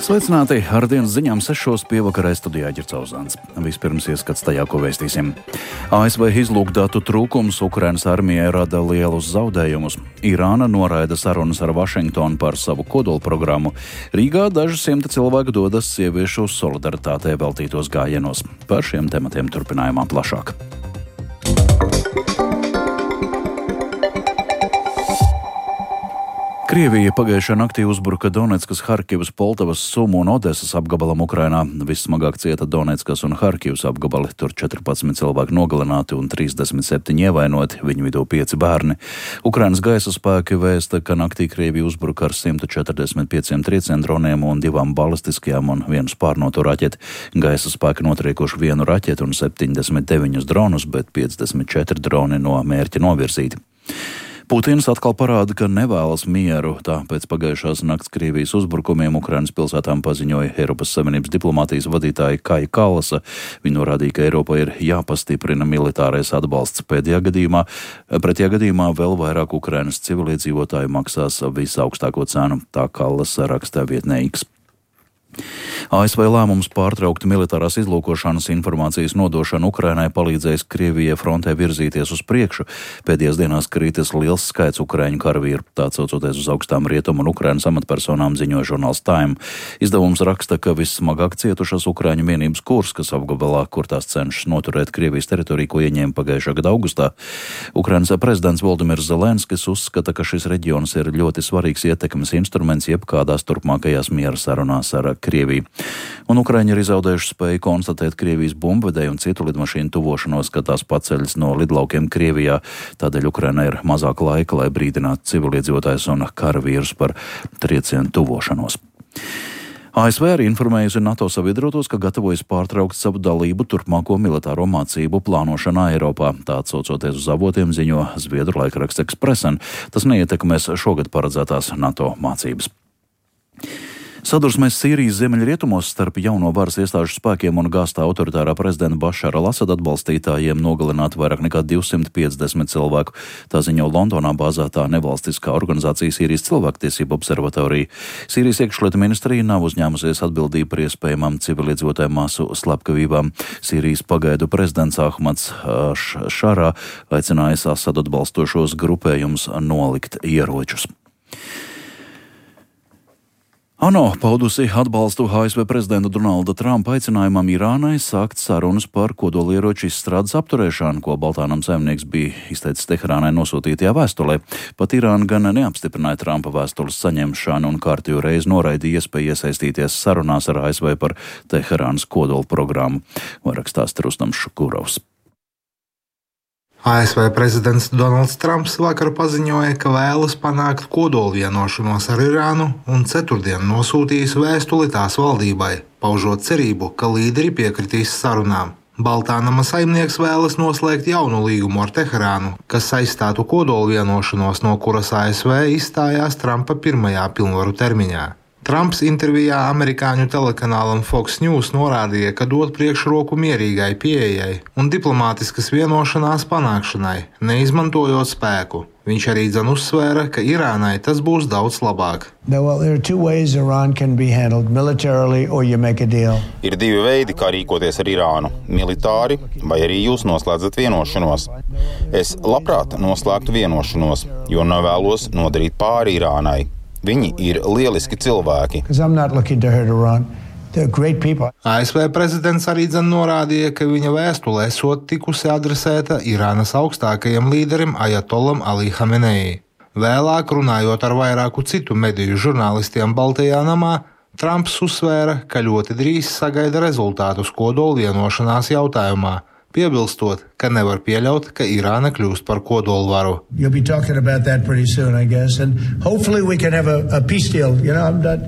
Sveicināti! Ar dienas ziņām 6. pievakarē studijā Ģercauzāns. Vispirms ieskats tajā, ko vēstīsim. ASV izlūkdatu trūkums Ukrainas armijai rada lielus zaudējumus. Irāna noraida sarunas ar Vašingtonu par savu kodolprogrammu. Rīgā daži simti cilvēku dodas sieviešu solidaritātei veltītos gājienos. Par šiem tematiem turpinājumā plašāk. Krievija pagājušā naktī uzbruka Donetskas, Harkivas, Poltavas, Sumu un Odesas apgabalam Ukrainā. Vissmagāk cieta Donetskas un Harkivas apgabali. Tur 14 cilvēki nogalināti un 37 ievainoti, viņu vidū 5 bērni. Ukrainas gaisa spēki vēsta, ka naktī Krievija uzbruka ar 145 triecienu droniem un 2 balistiskajām un 1 spārnotu raķeti. Gaisa spēki notriekuši 1 raķeti un 79 dronus, bet 54 droni no mērķa novirzīti. Putins atkal parāda, ka nevēlas mieru, tāpēc pagājušās nakts Krievijas uzbrukumiem Ukrainas pilsētām paziņoja Eiropas Savienības diplomātijas vadītāja Kaja Kallasa. Viņa norādīja, ka Eiropai ir jāpastiprina militārais atbalsts. Pretējā gadījumā vēl vairāk Ukrainas civiliedzīvotāju maksās visaugstāko cenu, tā Kallasa rakstā vietnē X. ASV lēmums pārtraukt militārās izlūkošanas informācijas nodošanu Ukrainai palīdzēs Krievijai frontē virzīties uz priekšu. Pēdējās dienās krītas liels skaits ukraiņu karavīru, tā caucoties uz augstām rietumu un Ukrainas amatpersonām, ziņoja žurnāls Time. Izdevums raksta, ka vissmagāk cietušas Ukraiņu vienības Kurskas apgabalā, kur tās cenšas noturēt Krievijas teritoriju, ko ieņēma pagājušā gada augustā. Ukrainas prezidents Voldimirs Zelenskis uzskata, ka šis reģions ir ļoti svarīgs ietekmes instruments jebkādās turpmākajās miera sarunās ar Krieviju. Un Ukraiņi ir izzaudējuši spēju konstatēt Krievijas bumbvedēju un citu lidmašīnu tuvošanos, kad tās paceļas no lidlaukiem Krievijā. Tādēļ Ukrainai ir mazāk laika, lai brīdinātu civiliedzīvotājus un karavīrus par triecienu tuvošanos. ASV arī informējusi NATO sabiedrotos, ka gatavojas pārtraukt savu dalību turpmāko militāro mācību plānošanā Eiropā. Tā atsaucoties uz avotiem ziņo zviedru laikraksts Expressen. Tas neietekmēs šogad paredzētās NATO mācības. Sadursmēs Sīrijas ziemeļrietumos starp jauno varas iestāžu spēkiem un gāztā autoritārā prezidenta Bašara al-Asada atbalstītājiem nogalināti vairāk nekā 250 cilvēku. Tā ziņo Londonā bāzētā nevalstiskā organizācija Sīrijas cilvēktiesību observatorija. Sīrijas iekšlietu ministrija nav uzņēmusies atbildību par iespējamām civiliedzīvotāju masu slepkavībām. Sīrijas pagaidu prezidents Ahmads Šarā aicinājis Asadu atbalstošos grupējumus nolikt ieročus. ANO paudusi atbalstu ASV prezidenta Donalda Trumpa aicinājumam Irānai sākt sarunas par kodolieroču izstrādes apturēšanu, ko Baltānam saimnieks bija izteicis Teherānai nosūtītajā vēstulē. Pat Irāna gan neapstiprināja Trumpa vēstules saņemšanu un kārtējo reizi noraidīja iespēju iesaistīties sarunās ar ASV par Teherānas kodola programmu. Vairāk stāsta Rustams Šukurovs. ASV prezidents Donalds Trumps vakar paziņoja, ka vēlas panākt kodolvienošanos ar Irānu un ceturtdien nosūtījis vēstuli tās valdībai, paužot cerību, ka līderi piekritīs sarunām. Baltānama saimnieks vēlas noslēgt jaunu līgumu ar Teherānu, kas aizstātu kodolvienošanos, no kuras ASV izstājās Trumpa pirmajā pilnvaru termiņā. Trumps intervijā amerikāņu telekanālam Fox News norādīja, ka dod priekšroku mierīgai pieejai un diplomātiskas vienošanās panākšanai, neizmantojot spēku. Viņš arī uzsvēra, ka Irānai tas būs daudz labāk. Ir 2 veidi, kā rīkoties ar Irānu - militāri, vai arī jūs noslēdzat vienošanos. Es labprāt noslēgtu vienošanos, jo nevēlos nodarīt pāri Irānai. Viņi ir lieliski cilvēki. ASV prezidents arī norādīja, ka viņa vēstule esot tikusi adresēta Irānas augstākajam līderim Ajatolam Ali Hamenei. Vēlāk, runājot ar vairāku citu mediju žurnālistiem Baltajā namā, Trumps uzsvēra, ka ļoti drīz sagaida rezultātus kodolvienošanās jautājumā, piebilstot, ka nevar pieļaut, ka Irāna kļūst par kodolvaru.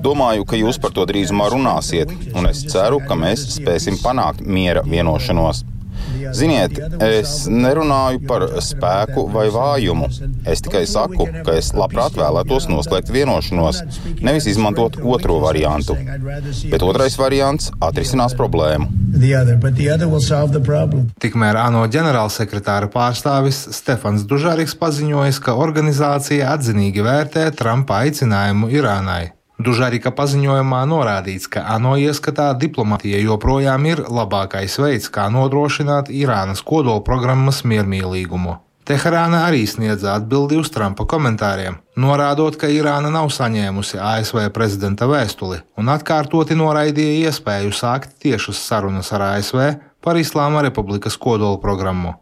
Domāju, ka jūs par to drīzumā runāsiet, un es ceru, ka mēs spēsim panākt miera vienošanos. Ziniet, es nerunāju par spēku vai vājumu. Es tikai saku, ka es labprāt vēlētos noslēgt vienošanos, nevis izmantot otro variantu. Bet otrais variants atrisinās problēmu. Tikmēr ANO ģenerālsekretāra pārstāvis Stefans Dužariks paziņojis, ka organizācija atzinīgi vērtē Trumpa aicinājumu Irānai. Dužarika paziņojumā norādīts, ka ANO ieskatā diplomatija joprojām ir labākais veids, kā nodrošināt Irānas kodolprogrammas miermīlīgumu. Teherāna arī sniedza atbildi uz Trumpa komentāriem, norādot, ka Irāna nav saņēmusi ASV prezidenta vēstuli un atkārtoti noraidīja iespēju sākt tiešas sarunas ar ASV par Islāma Republikas kodolprogrammu.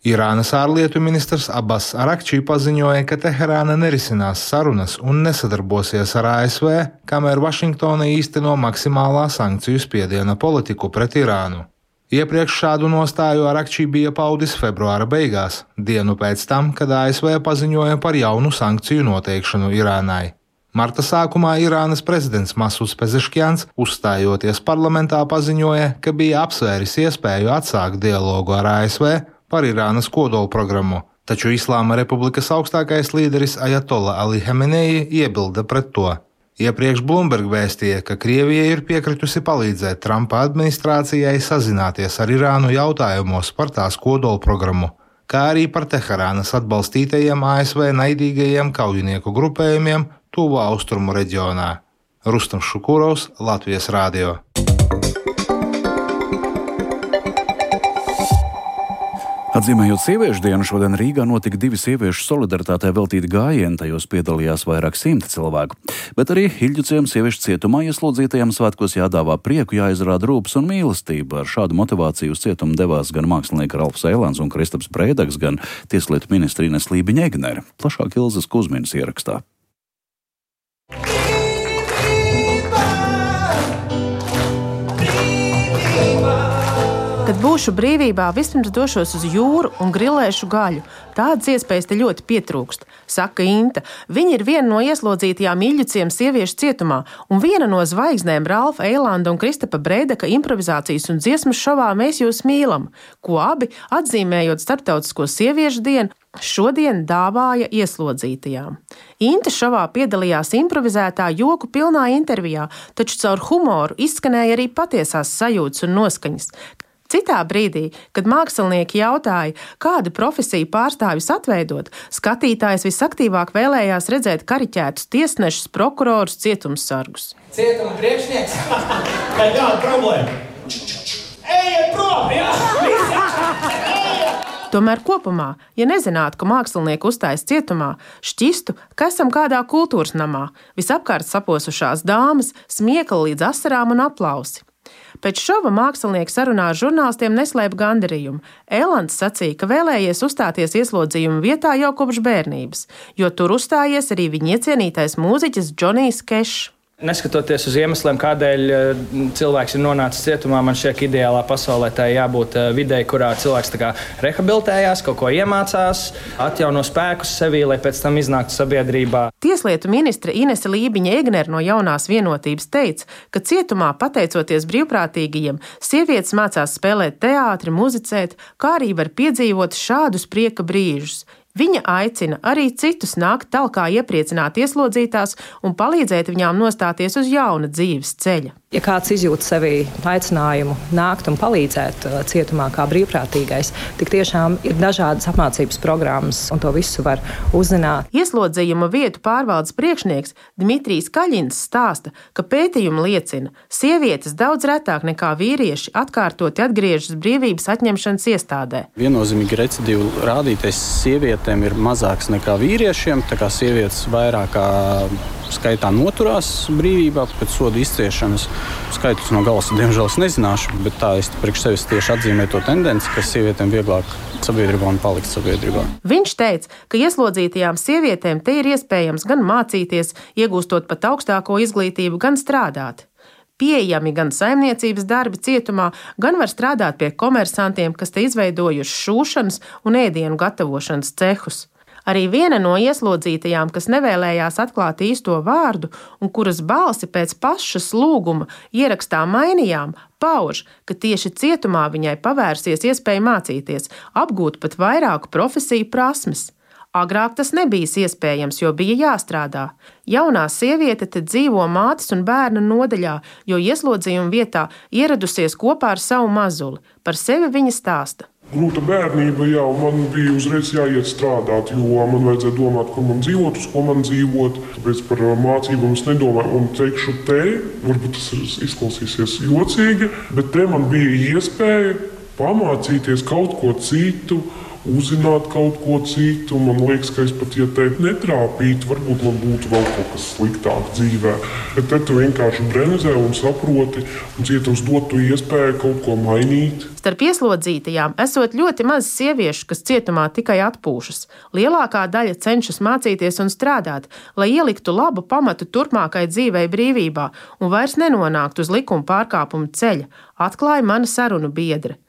Irānas ārlietu ministrs Abbas Arakči paziņoja, ka Teherāna nerisinās sarunas un nesadarbosies ar ASV, kamēr Vašingtona īsteno maksimālā sankciju spiediena politiku pret Irānu. Iepriekš šādu nostāju Arakči bija paudis februāra beigās, dienu pēc tam, kad ASV paziņoja par jaunu sankciju noteikšanu Irānai. Marta sākumā Irānas prezidents Masuds Pezeškjans, uzstājoties parlamentā, paziņoja, ka bija apsvēris iespēju atsākt dialogu ar ASV par Irānas kodolprogrammu, taču Islāma Republikas augstākais līderis Ajatolla Ali Hamenei iebilda pret to. Iepriekš Bloomberg vēstīja, ka Krievija ir piekritusi palīdzēt Trumpa administrācijai sazināties ar Irānu jautājumos par tās kodolprogrammu, kā arī par Teherānas atbalstītajiem ASV naidīgajiem kaujinieku grupējumiem Tuvu Austrumu reģionā. Rustams Šukurovs, Latvijas Rādio. Atzīmējot sieviešu dienu, šodien Rīgā notika 2 sieviešu solidaritātei veltīti gājieni, tajos piedalījās vairāk 100 cilvēku. Bet arī Iļģuciem sieviešu cietumā ieslodzītajiem svētkos jādāvā prieku, jāizrāda rūpes un mīlestība. Ar šādu motivāciju uz cietumu devās gan mākslinieki Ralfs Eilāns un Kristaps Brēdaks, gan tieslietu ministre Ines Lībiņa-Egnere. Plašāk Ilzas Kuzminas ierakstā. Kad būšu brīvībā, vispirms došos uz jūru un grilēšu gaļu. Tādas iespējas te ļoti pietrūkst, saka Inta. Viņa ir viena no ieslodzītajām Iļģuciem sieviešu cietumā un viena no zvaigznēm Ralfa Eilanda un Kristapa Brēdaka improvizācijas un dziesmas šovā Mēs jūs mīlam, ko abi, atzīmējot Starptautisko sieviešu dienu, šodien dāvāja ieslodzītajām. Inta šovā piedalījās improvizētā joku pilnā intervijā, taču caur humoru izskanēja arī patiesās sajūtas un noskaņas. Citā brīdī, kad mākslinieki jautāja, kādu profesiju pārstāvjus atveidot, skatītājs visaktīvāk vēlējās redzēt kariķētus tiesnešus, prokurorus, cietumsargus. Cietuma priekšnieks? Kāda problēma? Ejiet prom! Tomēr kopumā, ja nezinātu, ka mākslinieki uzstājas cietumā, šķistu, ka esam kādā kultūras namā, visapkārt saposušās dāmas, smiekli līdz asarām un aplausi. Pēc šova mākslinieki sarunā ar žurnālistiem neslēpa gandarījumu. Eilants sacīja, ka vēlējies uzstāties ieslodzījuma vietā jau kopš bērnības, jo tur uzstājies arī viņa iecienītais mūziķis Džonijs Kešs. Neskatoties uz iemesliem, kādēļ cilvēks ir nonācis cietumā, man šķiet, ka ideālā pasaulē tā jābūt videi, kurā cilvēks tā kā rehabilitējās, kaut ko iemācās, atjauno spēkus sevī, lai pēc tam iznāktu sabiedrībā. Tieslietu ministre Inese Lībiņa-Egnere no Jaunās vienotības teica, ka cietumā, pateicoties brīvprātīgajiem, sievietes mācās spēlēt teātri, muzicēt, kā arī var piedzīvot šādus prieka brīžus. Viņa aicina arī citus nākt talkā iepriecināt ieslodzītās un palīdzēt viņām nostāties uz jauna dzīves ceļa. Ja kāds izjūt sevī aicinājumu nākt un palīdzēt cietumā kā brīvprātīgais, tik tiešām ir dažādas apmācības programmas, un to visu var uzzināt. Ieslodzījuma vietu pārvaldes priekšnieks Dmitrijs Kaļins stāsta, ka pētījumi liecina, sievietes daudz retāk nekā vīrieši atkārtoti atgriežas brīvības atņemšanas iestādē. Viennozīmīgi recidīvu rādītais sievietēm ir mazāks nekā vīriešiem, tā kā sievietes vairāk skaitā noturās brīvībā pēc soda izciešanas. Skaitus no galas, diemžēl, es nezināšu, bet tā es priekš sevis tieši atzīmēju to tendenci, ka sievietēm vieglāk sabiedrībā un palikt sabiedrībā. Viņš teica, ka ieslodzītajām sievietēm te ir iespējams gan mācīties, iegūstot pat augstāko izglītību, gan strādāt. Pieejami gan saimniecības darbi cietumā, gan var strādāt pie komersantiem, kas te izveidojuši šūšanas un ēdienu gatavošanas cehus. Arī viena no ieslodzītajām, kas nevēlējās atklāt īsto vārdu un kuras balsi pēc pašas lūguma ierakstā mainījām, pauž, ka tieši cietumā viņai pavērsies iespēja mācīties, apgūt pat vairāku profesiju prasmes. Agrāk tas nebija iespējams, jo bija jāstrādā. Jaunā sieviete te dzīvo mātes un bērna nodaļā, jo ieslodzījuma vietā ieradusies kopā ar savu mazuli. Par sevi viņa stāsta. Grūta bērnība jau man bija uzreiz jāiet strādāt, jo man vajadzēja domāt, kur man dzīvot, uz ko man dzīvot. Tāpēc par mācībām es nedomāju un teikšu te, varbūt tas izklausīsies jocīgi, bet te man bija iespēja pamācīties kaut ko citu, uzzināt kaut ko citu. Man liekas, ka es pat, ja te netrāpītu, varbūt man būtu vēl kaut kas sliktāk dzīvē. Bet te tu vienkārši bremzē un saproti, un ja tev dotu iespēju kaut ko mainīt. Starp ieslodzītajām esot ļoti maz sieviešu, kas cietumā tikai atpūšas. Lielākā daļa cenšas mācīties un strādāt, lai ieliktu labu pamatu turpmākai dzīvei brīvībā un vairs nenonāktu uz likuma pārkāpumu ceļa, atklāja mana sarunu biedre.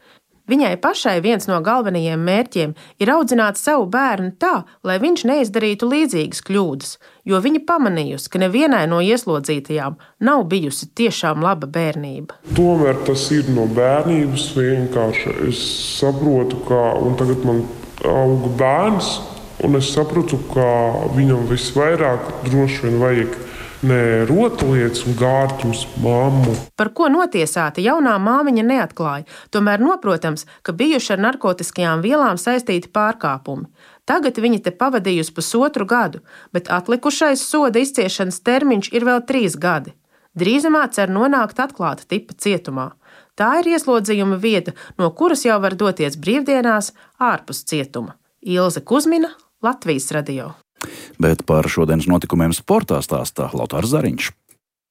Viņai pašai viens no galvenajiem mērķiem ir audzināt savu bērnu tā, lai viņš neizdarītu līdzīgas kļūdas, jo viņa pamanījusi, ka nevienai no ieslodzītajām nav bijusi tiešām laba bērnība. Tomēr tas ir no bērnības vienkārši. Es saprotu, un tagad man auga bērns, un es saprotu, ka viņam visvairāk droši vien vajag ne rotaļlietas un gārtu uz mammu. Par ko notiesāta jaunā māmiņa neatklāja, tomēr noprotams, ka bijuši ar narkotiskajām vielām saistīti pārkāpumi. Tagad viņa te pavadījusi 1,5 gadu, bet atlikušais soda izciešanas termiņš ir vēl 3 gadi. Drīzumā cer nonākt atklāta tipa cietumā. Tā ir ieslodzījuma vieta, no kuras jau var doties brīvdienās ārpus cietuma. Ilze Kuzmina, Latvijas radio. Bet par šodienas notikumiem sportā stāstā Lotārs Zariņš.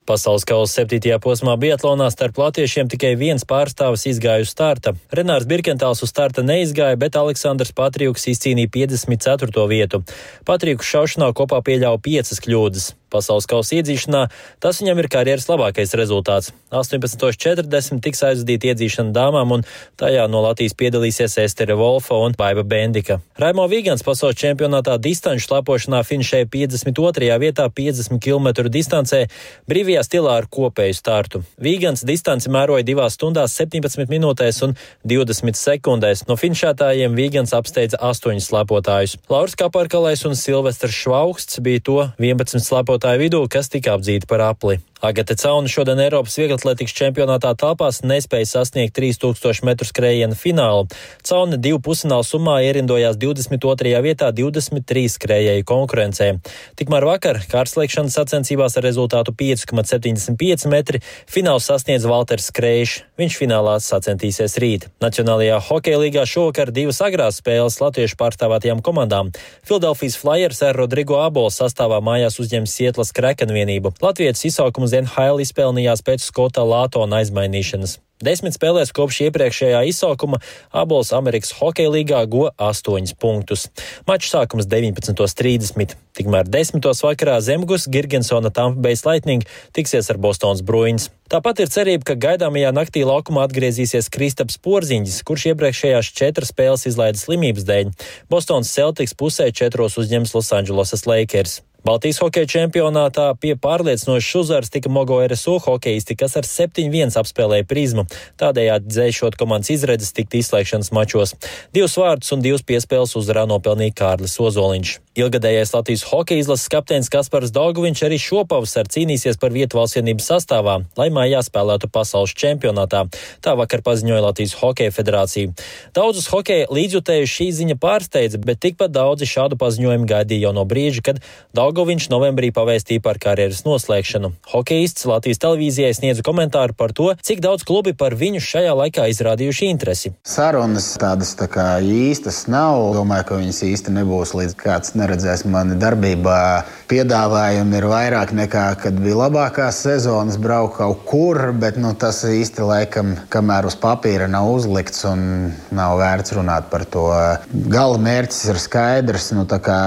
Pasaules kausa 7. posmā biatlonā starp latviešiem tikai viens pārstāvis izgāja uz starta. Renārs Birkentāls uz starta neizgāja, bet Aleksandrs Patrijuks izcīnīja 54. vietu. Patrijuks šaušanā kopā pieļāva 5 kļūdas. Pasaules kausa iedzīšanā tas viņam ir karjeras labākais rezultāts. 18.40 tiks aizvadīta iedzīšana dāmām, un tajā no Latvijas piedalīsies Estere Volfa un Baiba Bendika. Raimo Vīgans pasaules čempionātā distanču slapošanā finišēja 52. vietā 50 km distancē, brīvajā stilā ar kopēju startu. Vīgans distanci mēroja 2 stundās 17 minūtēs un 20 sekundēs. No finišētājiem Vīgans apsteidza 8 slapotājus. Lauris Kaparkalais un Silvestrs Švaugsts bija to 11 slapotāju vidū, kas tika apdzīti par apli. Agate Cauna šodien Eiropas vieglatlētikas čempionātā telpās nespēja sasniegt 3000 metru skrējiena finālu. Cauna 2 pusfinālu summā ierindojās 22. vietā 23 skrējēju konkurencē. Tikmēr vakar kārtslēgšanas sacensībās ar rezultātu 5,75 metri finālu sasniedz Valters Skrejš. Viņš finālā sacensties rīt. Nacionālajā hokeja līgā šovakar 2 agrās spēles latviešu pārstāvētajām komandām. Philadelphia Flyers ar Rodrigo Abola sastāvā mājās uzņems Sietlas Kraken vienību. Latvietis izsaukumu NHL izpelnījās pēc Skota Lātona aizmainīšanas. 10 spēlēs kopš iepriekšējā izsaukuma Abols Amerikas hokeja līgā go 8 punktus. Mačs sākums 19.30. Tikmēr 10. vakarā Zemgus Girgensona Tampa Bay Lightning tiksies ar Bostonas Bruins. Tāpat ir cerība, ka gaidāmajā naktī laukumā atgriezīsies Kristaps Porziņģis, kurš iepriekšējās 4 spēles izlaida slimības dēļ. Bostonas Celtics pusē 4 uzņems Losandželosas Lakers. Baltijas hokeja čempionātā pie pārliecinošas uzvaras tika Mogo RSU hokeisti, kas ar 7-1 apspēlēja Prizmu, tādējādi dzēšot komandas izredzes tikt izslēgšanas mačos. 2 vārdus un 2 piespēles uzvarā nopelnīja Kārlis Ozoliņš. Ilgadējais Latvijas hokeja izlases kapteinis Kaspars Dauguviņš arī šopavasar cīnīsies par vietu valstsvienības sastāvā, lai mājā spēlētu pasaules čempionātā. Tā vakar paziņoja Latvijas hokeja federācija. Daudzus hokeja līdzjutējuši šī ziņa pārsteidza, bet tikpat daudzi šādu paziņojumu gaidīja jau no brīža, kad Dauguviņš novembrī pavēstīja par karjeras noslēgšanu. Hokeists Latvijas televīzijai sniedza komentāru par to, cik daudz klubi par viņu šajā laikā izrādījuši interesi. Sarunas tādas tā kā īstas nav. Domāju, ka viņas īsti nebūs, līdz kāds neredzēs mani darbībā. Piedāvājumi ir vairāk nekā, kad bija labākās sezonas, braukt kaut kur, bet tas īsti laikam, kamēr uz papīra nav uzlikts un nav vērts runāt par to. Gala mērķis ir skaidrs, tā kā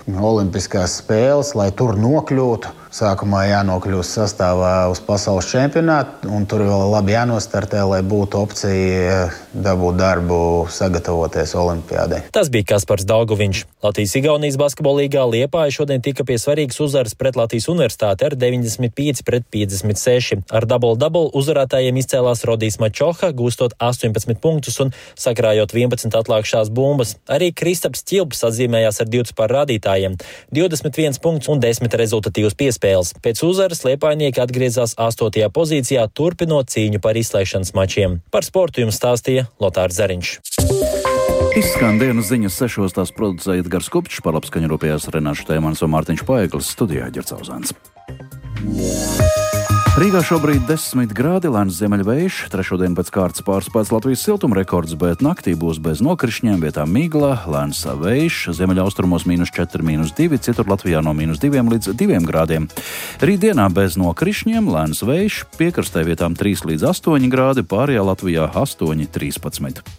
olimpiskās spēles, lai tur nokļūtu. Sākumā jānokļūst sastāvā uz pasaules čempionātu, un tur vēl labi jānostartē, lai būtu opcija dabūt darbu, sagatavoties olimpiādai. Tas bija Kaspars Dauguviņš. Latvijas-Igaunijas basketbola līgā Liepāja šodien tika pie svarīgas uzvaras pret Latvijas universitāti ar 95-56. Ar double-double uzvarētājiem izcēlās Rodijs Mačoha, gūstot 18 punktus un sakrājot 11 atlākšās bumbas. Arī Kristaps Ķilps atzīmējās ar 20 par rādītājiem, 21 punktus un 10 rezultatīvus piespēles. Pēc uzvaras liepājnieki atgriezās 8. pozīcijā, turpinot cīņu par izslēgšanas mačiem. Par sportu jums stāstīja Lotārs Zariņš. Izskan dienas ziņas 6. Tās producēja Edgars Kupčs, par labskaņu rūpējās Renāšu Tēmans un Mārtiņš Paeglis, studijā Ģercauzāns. Rīgā šobrīd 10 grādi, lēns ziemeļvējš, trešodien pēc kārtas pārspēts Latvijas siltuma rekords, bet naktī būs bez nokrišņiem, vietām migla, lēns vējš, ziemeļaustrumos -4, -2, citur Latvijā no -2 līdz 2 grādiem. Rītdienā bez nokrišņiem, lēns vējš, piekrastē vietām 3 līdz 8 grādi, pārējā Latvijā 8, 13.